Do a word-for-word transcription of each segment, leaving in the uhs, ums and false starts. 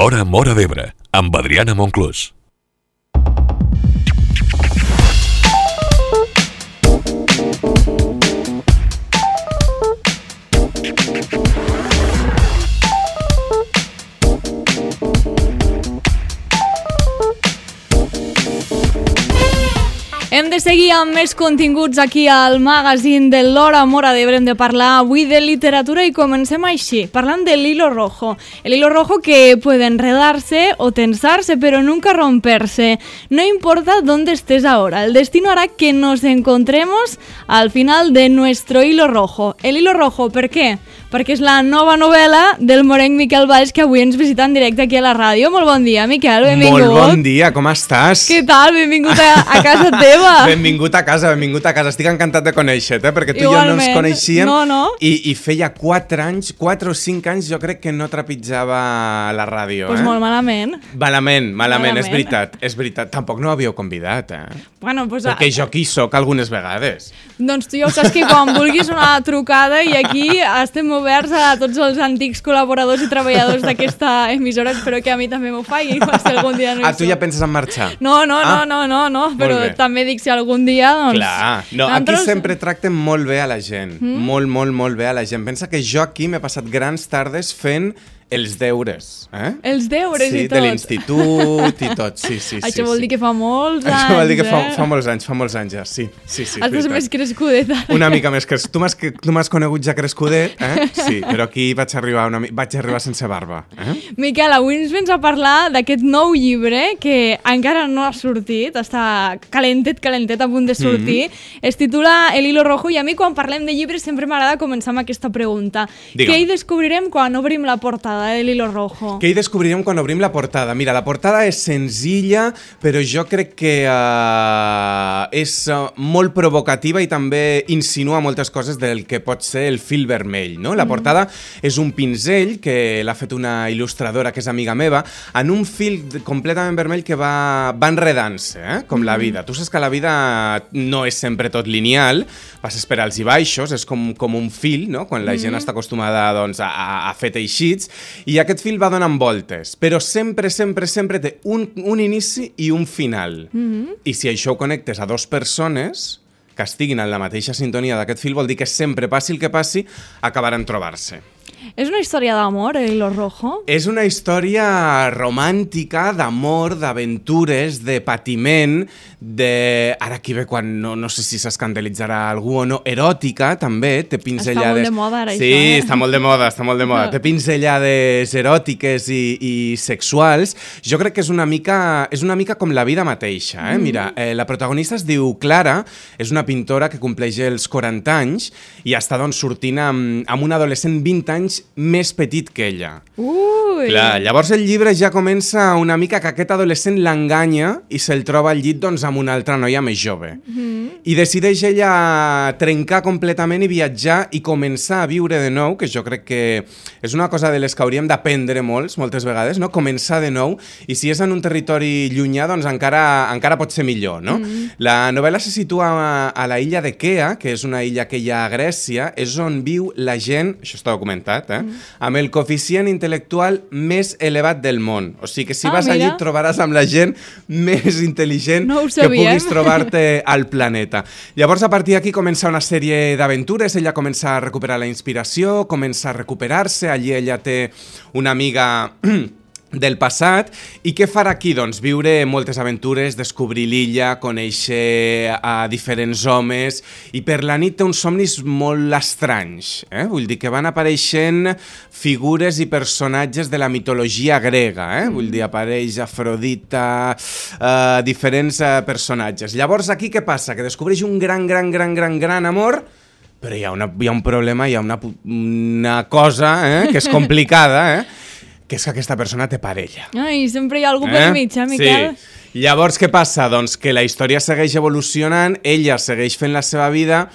L'Hora Móra d'Ebre, amb Adriana Monclús. Hem de seguir amb més continguts aquí al magazín de l'Hora Móra d'Ebre. Hem de parlar avui de literatura i comencem així, parlant del hilo rojo. El hilo rojo que puede enredarse o tensarse, pero nunca romperse. No importa dónde estés ahora, el destino hará que nos encontremos al final de nuestro hilo rojo. El hilo rojo, ¿per què? Perquè és la nova novel·la del morenc Miquel Valls, que avui ens visita en directe aquí a la ràdio. Molt bon dia, Miquel, benvingut. Molt bon dia, com estàs? Què tal? Benvingut a, a casa teva. Benvingut a casa, benvingut a casa. Estic encantat de conèixer-te, perquè tu Igualment. i jo no ens coneixíem. No, no. I, i feia quatre anys, quatre o cinc anys, jo crec que no trepitjava la ràdio. Pues eh? molt malament. Malament, malament, Malament. és veritat, és veritat. Tampoc no havíeu convidat, eh? Bueno, pues, Perquè jo aquí soc algunes vegades. Doncs tu ja ho saps que quan vulguis una trucada i aquí estem oberts a tots els antics col·laboradors i treballadors d'aquesta emissora. Espero que a mi també m'ho faci, si algun dia no hi Ah, tu ja soc. penses en marxar? No, no, no, Ah. no, no, no, però bé. també dic si algun dia, doncs... Clar, no, aquí nosaltres- sempre tracten molt bé a la gent, mm? molt, molt, molt bé a la gent. Pensa que jo aquí m'he passat grans tardes fent els deures, eh? Els deures sí, i tot. de l'institut i tot, sí, sí. Això sí, vol sí. dir que fa molts anys, Això vol dir que fa, eh? fa molts anys, fa molts anys ja, sí, sí, sí. és Estàs veritat. més crescudet. ara. Una mica més crescudet. Tu m'has tu m'has conegut ja crescudet, eh? Sí, però aquí vaig arribar, una, mi- vaig arribar sense barba, eh? Miquel, avui ens vens a parlar d'aquest nou llibre que encara no ha sortit, està calentet, calentet, a punt de sortir. Mm-hmm. Es titula El hilo rojo i a mi quan parlem de llibres sempre m'agrada començar amb aquesta pregunta. Digue'm. Què hi descobrirem quan obrim la portada de l'hilo rojo? Què hi descobrirem quan obrim la portada? Mira, la portada és senzilla, però jo crec que uh, és uh, molt provocativa i també insinua moltes coses del que pot ser el fil vermell, no? La portada és un pinzell que l'ha fet una il·lustradora que és amiga meva, en un fil completament vermell que va, va enredant-se, eh? Com la vida. Tu saps que la vida no és sempre tot lineal, passes per alts i baixos, és com, com un fil, no? Quan la gent està acostumada doncs, a, a fer teixits, i aquest fil va donant voltes, però sempre, sempre, sempre té un, un inici i un final. Mm-hmm. I si això ho connectes a dues persones que estiguin en la mateixa sintonia d'aquest fil, vol dir que sempre, passi el que passi, acabaran trobant-se. És una història d'amor, el hilo rojo? És una història romàntica, d'amor, d'aventures, de patiment, de... Ara aquí ve quan no, no sé si s'escandalitzarà algú o no, eròtica, també, té pinzellades... Està molt de moda, ara, sí, això, eh? està molt de moda, està molt de moda. Té pinzellades eròtiques i, i sexuals. Jo crec que és una mica, és una mica com la vida mateixa, eh? Mm. Mira, eh, la protagonista es diu Clara, és una pintora que compleix els quaranta anys i està doncs, sortint amb, amb un adolescent vint anys més petit que ella. Ui! Clar, llavors el llibre ja comença una mica que aquest adolescent l'enganya i se'l troba al llit doncs, amb una altra noia més jove. Mm-hmm. I decideix ella trencar completament i viatjar i començar a viure de nou, que jo crec que és una cosa de les que hauríem d'aprendre molts, moltes vegades, no? Començar de nou, i si és en un territori llunyà, doncs encara, encara pot ser millor, no? Mm-hmm. La novel·la se situa a, a la illa de Kea, que és una illa que hi ha a Grècia, és on viu la gent, això està documentat, eh? Mm. Amb el coeficient intel·lectual més elevat del món. O sigui que si Ah, vas mira. allí et trobaràs amb la gent més intel·ligent No ho que sabíem. puguis trobar-te al planeta. Llavors, a partir d'aquí comença una sèrie d'aventures, ella comença a recuperar la inspiració, comença a recuperar-se, allí ella té una amiga... del passat, i què farà aquí? Doncs viure moltes aventures, descobrir l'illa, conèixer a diferents homes, i per la nit té uns somnis molt estranys, eh? Vull dir que van apareixent figures i personatges de la mitologia grega, eh? Vull dir, apareix Afrodita, eh, diferents eh, personatges. Llavors aquí què passa? Que descobreix un gran, gran, gran, gran, gran amor, però hi ha, una, hi ha un problema, hi ha una, una cosa eh? que és complicada, eh? que és que aquesta persona té parella. Ai, sempre hi ha algú per mig, eh, Miquel? Sí. Llavors, què passa? Doncs que la història segueix evolucionant, ella segueix fent la seva vida,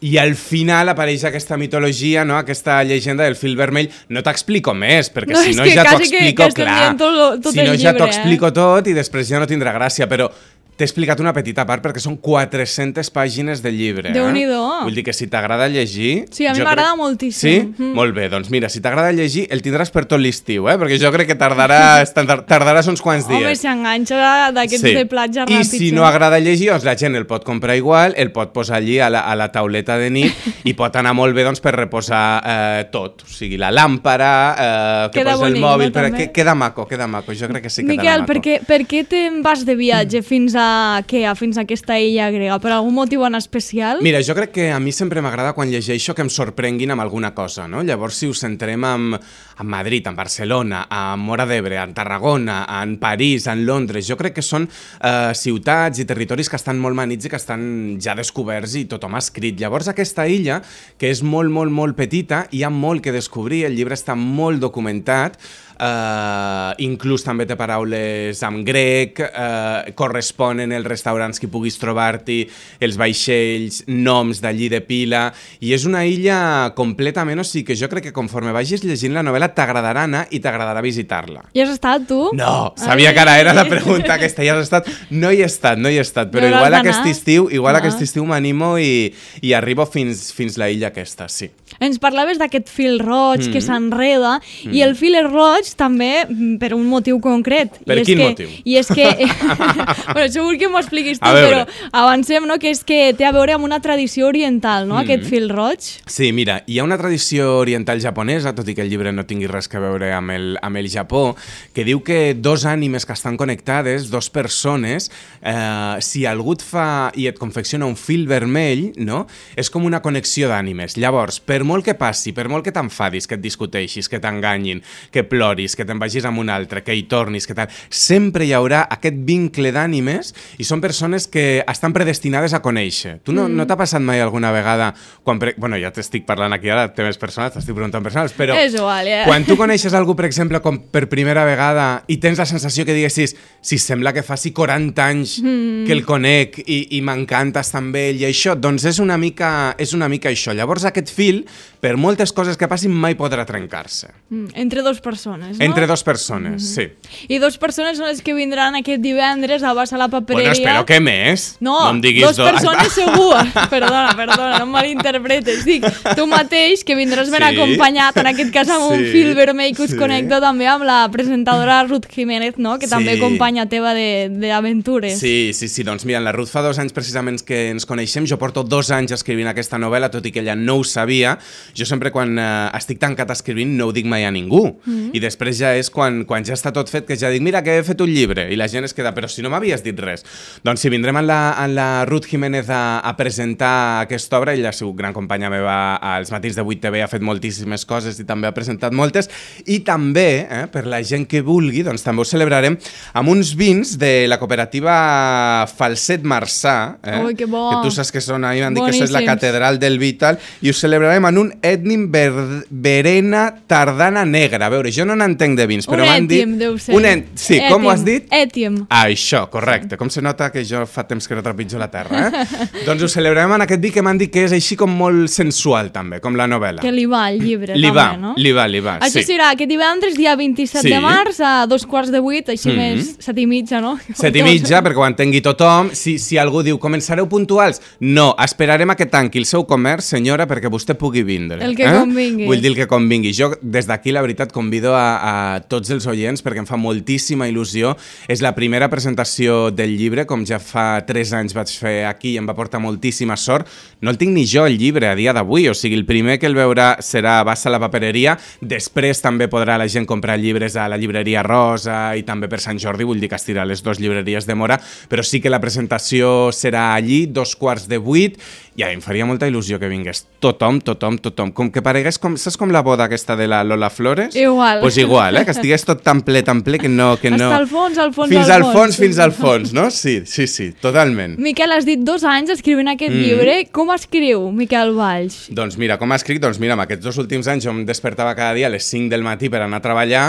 i al final apareix aquesta mitologia, no? Aquesta llegenda del fil vermell. No t'explico més, perquè No, si és no que ja t'ho quasi que- explico, que estem clar. dient tot lo- tot si el no ja t'ho llibre, eh? explico tot i després ja no tindrà gràcia, però T'he explicat una petita part perquè són quatre-centes pàgines del llibre. Déu-n'hi-do. Eh? Vull dir que si t'agrada llegir... Sí, a mi jo m'agrada crec... moltíssim. Sí? Mm. Molt bé, doncs mira, si t'agrada llegir el tindràs per tot l'estiu, eh? Perquè jo crec que tardaràs, tardaràs uns quants dies. Home, s'enganxa d'aquests sí. de platja I ràpids. si no agrada llegir, doncs la gent el pot comprar igual, el pot posar allí a la, a la tauleta de nit i pot anar molt bé doncs, per reposar eh, tot. O sigui, la làmpara, eh, que queda posa bonic, el mòbil... no, però també? que, queda maco, queda maco. Jo crec que sí que Miquel, queda maco. per què, per què te'n vas de viatge fins a què? Fins a aquesta illa grega? Per algun motiu en especial? Mira, jo crec que a mi sempre m'agrada quan llegeixo que em sorprenguin amb alguna cosa, no? Llavors, si us centrem en, en Madrid, en Barcelona, a Móra d'Ebre, en Tarragona, en París, en Londres, jo crec que són eh, ciutats i territoris que estan molt manits i que estan ja descoberts i tothom ha escrit. Llavors, aquesta illa, que és molt, molt, molt petita, hi ha molt que descobrir, el llibre està molt documentat, Uh, inclús també té paraules en grec, uh, corresponen els restaurants que puguis trobar-t'hi, els vaixells, noms d'allí de pila, i és una illa completament, o sigui que jo crec que conforme vagis llegint la novel·la t'agradarà anar i t'agradarà visitar-la. Hi has estat, tu? No, sabia Ai. que ara era la pregunta aquesta, hi has estat? No hi he estat, no hi he estat, però no igual aquest estiu, igual ah. aquest estiu m'animo i, i arribo fins, fins la illa aquesta, sí. Ens parlaves d'aquest fil roig mm. que s'enreda, mm. i el fil roig també per un motiu concret. Per I quin és que, motiu? I és que... bueno, segur que m'ho expliquis tu, però avancem, no?, que és que té a veure amb una tradició oriental, no?, mm. aquest fil roig. Sí, mira, hi ha una tradició oriental japonesa, tot i que el llibre no tingui res a veure amb el, amb el Japó, que diu que dos ànimes que estan connectades, dos persones, eh, si algú et fa i et confecciona un fil vermell, no?, és com una connexió d'ànimes. Llavors, per molt que passi, per molt que t'enfadis, que et discuteixis, que t'enganyin, que ploris, que te'n vagis amb un altre, que hi tornis, que tal, sempre hi haurà aquest vincle d'ànimes i són persones que estan predestinades a conèixer. Tu no, mm. no t'ha passat mai alguna vegada, quan pre... bueno, ja t'estic parlant aquí ara, temes personals, t'estic preguntant personals, però és igual, ja. quan tu coneixes algú, per exemple, com per primera vegada i tens la sensació que diguessis, si sembla que faci quaranta anys mm. que el conec i, i m'encanta estar amb ell i això, doncs és una mica, és una mica això. Llavors aquest fil, per moltes coses que passin, mai podrà trencar-se. Mm. Entre dos persones, no? Entre dos persones, mm-hmm. sí. I dos persones són les que vindran aquest divendres a Bassa la Papereria. Bueno, espero que més. No, no em diguis dos do... persones segur. Perdona, perdona, no em malinterpretes. Dic, tu mateix, que vindràs ben sí. acompanyat, en aquest cas amb sí. un fil vermell que us sí. connecta també amb la presentadora Ruth Jiménez, no?, que sí. també companya teva d'aventures. Sí, sí, sí. Doncs mira, la Ruth fa dos anys precisament que ens coneixem. Jo porto dos anys escrivint aquesta novel·la, tot i que ella no ho sabia. Jo sempre quan eh, estic tancat escrivint no ho dic mai a ningú. Mm-hmm. I després ja és quan, quan ja està tot fet que ja dic, mira que he fet un llibre, i la gent es queda, però si no m'havies dit res. Doncs si vindrem en la, en la Ruth Jiménez a, a presentar aquesta obra, ella ha sigut gran companya meva als matins de vuit T V, ha fet moltíssimes coses i també ha presentat moltes, i també, eh, per la gent que vulgui, doncs també ho celebrarem amb uns vins de la cooperativa Falset Marçà, eh, Ui, que bo. que tu saps que són, a mi m'han dit que és la catedral del vi i tal, i ho celebrarem en un Ètnim Verena Tardana Negra. A veure, jo no n'entenc de vins, però m'han dit... Un ètim, deu ser. Un ètim, sí, ètim. Com ho has dit? Ètim. Ah, això, correcte. Com se nota que jo fa temps que no trepitjo la terra, eh? Doncs ho celebrarem en aquest vi que m'han dit que és així com molt sensual, també, com la novel·la. Que li va al llibre, li també, va, no? Li va, li va, Això sí. serà aquest divendres, dia vint-i-set sí. de març, a dos quarts de vuit, així mm -hmm. més set i mitja, no? Set i mitja, perquè ho entengui tothom. Si, si algú diu, començareu puntuals? No, esperarem a que tanqui el seu comerç, senyora, perquè vostè pugui vindre. El que eh? convingui. Vull dir el que convingui. Jo, des d'aquí, la veritat, convido a, a tots els oients, perquè em fa moltíssima il·lusió. És la primera presentació del llibre, com ja fa tres anys vaig fer aquí i em va portar moltíssima sort. No el tinc ni jo, el llibre, a dia d'avui. O sigui, el primer que el veurà serà a Bassa la Papereria. Després també podrà la gent comprar llibres a la llibreria Rosa i també per Sant Jordi, vull dir que estirà les dues llibreries de Móra, però sí que la presentació serà allí, dos quarts de vuit, i a mi em faria molta il·lusió que vingués tothom, tothom, tothom. Com que paregués, com, saps com la boda aquesta de la Lola Flores? Igual. Pues igual, eh? Que estigués tot tan ple, tan ple, que no... Que no... Hasta al fons, al fons, fins al fons. fons. Fins al fons, no? Sí, sí, sí, totalment. Miquel, has dit dos anys escrivint aquest mm. llibre. Com escriu Miquel Valls? Doncs mira, com ha escrit? Doncs mira, en aquests dos últims anys jo em despertava cada dia a les cinc del matí per anar a treballar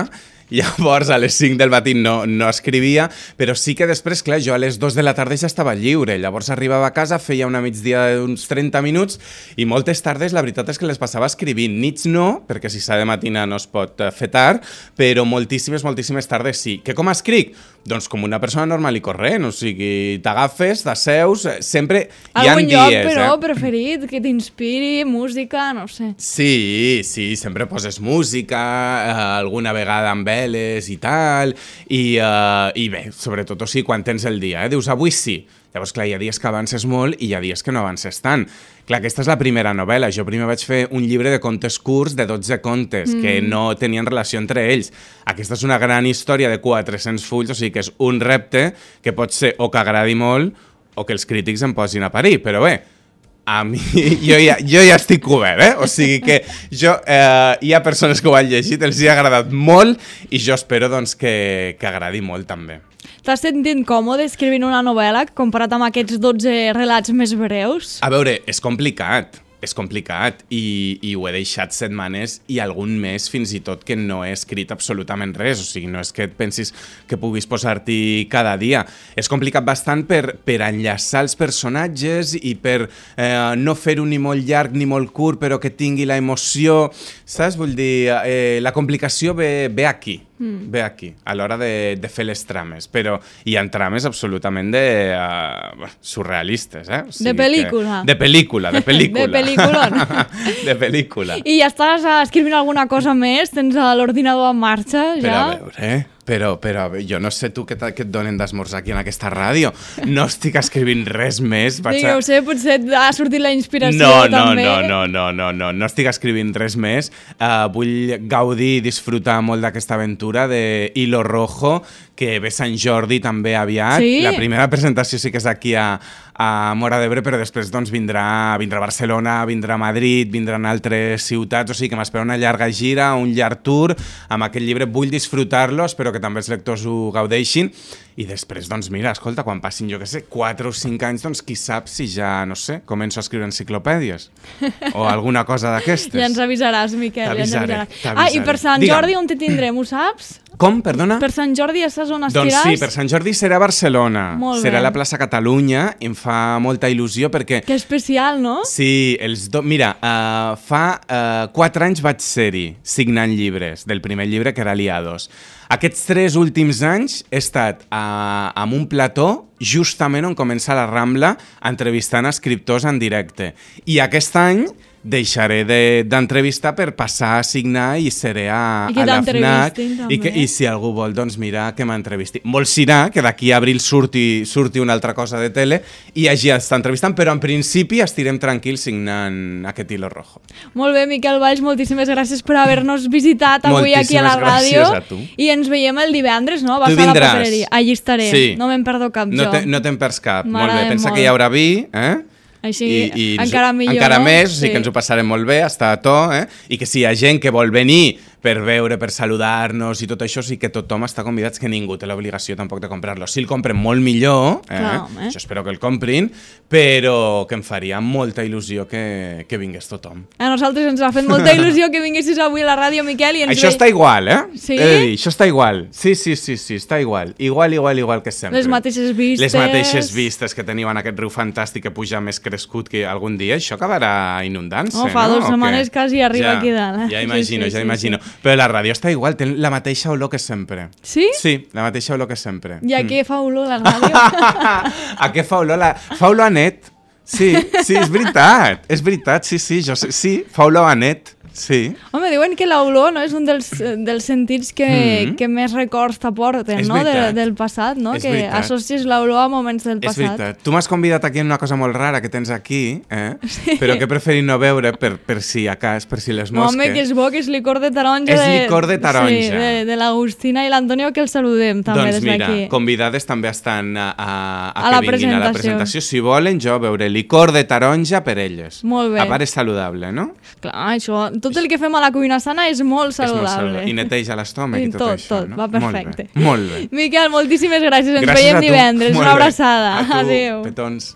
llavors a les cinc del matí no, no escrivia, però sí que després, clar, jo a les dos de la tarda ja estava lliure, llavors arribava a casa, feia una migdia d'uns trenta minuts i moltes tardes la veritat és que les passava escrivint, nits no, perquè si s'ha de matina no es pot fer tard, però moltíssimes, moltíssimes tardes sí. Que com escric? Doncs com una persona normal i corrent, o sigui, t'agafes, t'asseus, sempre hi ha Algun dies... lloc, però, eh? preferit, que t'inspiri, música, no sé. Sí, sí, sempre poses música, eh, alguna vegada amb veles i tal, i, uh, i bé, sobretot, o sigui, quan tens el dia, eh? Dius, avui sí. Llavors, clar, hi ha dies que avances molt i hi ha dies que no avances tant. Clar, aquesta és la primera novel·la. Jo primer vaig fer un llibre de contes curts de dotze contes mm. que no tenien relació entre ells. Aquesta és una gran història de quatre-cents fulls, o sigui que és un repte que pot ser o que agradi molt o que els crítics em posin a parir, però bé, a mi, jo ja, jo ja estic cobert, eh? O sigui que jo, eh, hi ha persones que ho han llegit, els hi ha agradat molt i jo espero doncs, que, que agradi molt també. T'has sentit còmode escrivint una novel·la comparat amb aquests dotze relats més breus? A veure, és complicat. És complicat i, i ho he deixat setmanes i algun mes fins i tot que no he escrit absolutament res, o sigui, no és que et pensis que puguis posar-t'hi cada dia. És complicat bastant per, per enllaçar els personatges i per eh, no fer-ho ni molt llarg ni molt curt, però que tingui la emoció, saps? Vull dir, eh, la complicació ve, ve aquí. Mm. Ve aquí, a l'hora de, de fer les trames, però hi ha trames absolutament de uh, surrealistes, eh? O sigui de pel·lícula. Que, de pel·lícula, de pel·lícula. De pel·lícula. De pel·lícula. I ja estàs escrivint alguna cosa més? Tens l'ordinador en marxa, ja? Però a veure, eh? Però, però jo no sé tu què, què et donen d'esmorzar aquí en aquesta ràdio. No estic escrivint res més. Vaig a... Digueu-se, potser ha sortit la inspiració no, no, també. No, no, no, no, no, no estic escrivint res més. Uh, vull gaudir i disfrutar molt d'aquesta aventura de Hilo Rojo, que ve Sant Jordi també aviat. Sí? La primera presentació sí que és aquí a, a Móra d'Ebre, però després doncs, vindrà, vindrà a Barcelona, vindrà a Madrid, vindran altres ciutats, o sigui que m'espera una llarga gira, un llarg tour. Amb aquest llibre vull disfrutar-lo, espero que també els lectors ho gaudeixin. I després, doncs mira, escolta, quan passin, jo què sé, quatre o cinc anys, doncs qui sap si ja, no sé, començo a escriure enciclopèdies o alguna cosa d'aquestes. Ja ens avisaràs, Miquel. T'avisaré, ja ens t'avisaré. Ah, i per Sant Digue'm. Jordi on te tindrem, ho saps? Com, perdona? Per Sant Jordi ja saps on estiràs? Doncs sí, per Sant Jordi serà a Barcelona. Molt serà bé. a la plaça Catalunya, em fa molta il·lusió perquè... Que especial, no? Sí, els do... mira, uh, fa uh, quatre anys vaig ser-hi signant llibres, del primer llibre que era Aliados. Aquests tres últims anys he estat uh, amb un plató justament on comença la Rambla entrevistant escriptors en directe. I aquest any deixaré d'entrevistar de, per passar a signar i seré a, I a la FNAC i, que, i si algú vol, doncs mira que m'entrevisti. Molt serà que d'aquí a abril surti, surti una altra cosa de tele i hagi d'estar entrevistant, però en principi estirem tranquils signant aquest Hilo Rojo. Molt bé, Miquel Valls, moltíssimes gràcies per haver-nos visitat avui moltíssimes aquí a la ràdio. Gràcies a tu. I ens veiem el divendres, no? Vas tu a la vindràs. papereria. Allí estaré, sí. No me'n perdo cap no jo. Te, no te'n perds cap, molt bé. Pensa molt. que hi haurà vi, eh? Així, I, i encara millor, encara no? més, o sigui sí. que ens ho passarem molt bé, està a to, eh? I que si hi ha gent que vol venir per veure, per saludar-nos i tot això, sí que tothom està convidat, que ningú té l'obligació tampoc de comprar-lo. Si el compren molt millor, eh? Clar, eh? Jo espero que el comprin, però que em faria molta il·lusió que, que vingués tothom. A nosaltres ens ha fet molta il·lusió que vinguessis avui a la ràdio, Miquel, i ens Això ve... està igual, eh? Sí? He de dir, això està igual. Sí, sí, sí, sí, està igual. Igual, igual, igual que sempre. Les mateixes vistes. Les mateixes vistes que teniu en aquest riu fantàstic que puja més crescut que algun dia. Això acabarà inundant-se, no? Fa no? dues setmanes quasi arriba ja, aquí dalt. Eh? Ja imagino, sí, sí, ja sí, imagino. Sí. Però la ràdio està igual, té la mateixa olor que sempre. Sí? Sí, la mateixa olor que sempre. I a Mm. què fa olor la ràdio? A què fa olor? La... Fa olor a net. Sí, sí, és veritat. És veritat, sí, sí, jo sé, sí, fa olor a net. Sí. Home, diuen que l'olor no, és un dels, dels sentits que, mm. que més records t'aporten, no? De, del passat, no? És que veritat. associes l'olor a moments del És passat. veritat. Tu m'has convidat aquí en una cosa molt rara que tens aquí, eh? Sí. Però que he preferit no veure per, per si a cas, per si les No, mosques. home, que és bo, que és licor de taronja. És de, licor de taronja. Sí, de, de l'Agustina i l'Antonio, que els saludem també doncs des d'aquí. mira, convidades també estan a, a, a, A que la vinguin a la presentació. Si volen, jo veuré licor de taronja per elles. Molt bé. A part és saludable, no? Clar, això, tot el que fem a la cuina sana és molt saludable. És molt saludable. I neteja l'estómac i tot, tot això. Tot, no? va perfecte. Molt bé. Molt bé. Miquel, moltíssimes gràcies. Ens Gràcies veiem a tu. divendres. Molt Una bé. abraçada. A tu, Adéu. petons.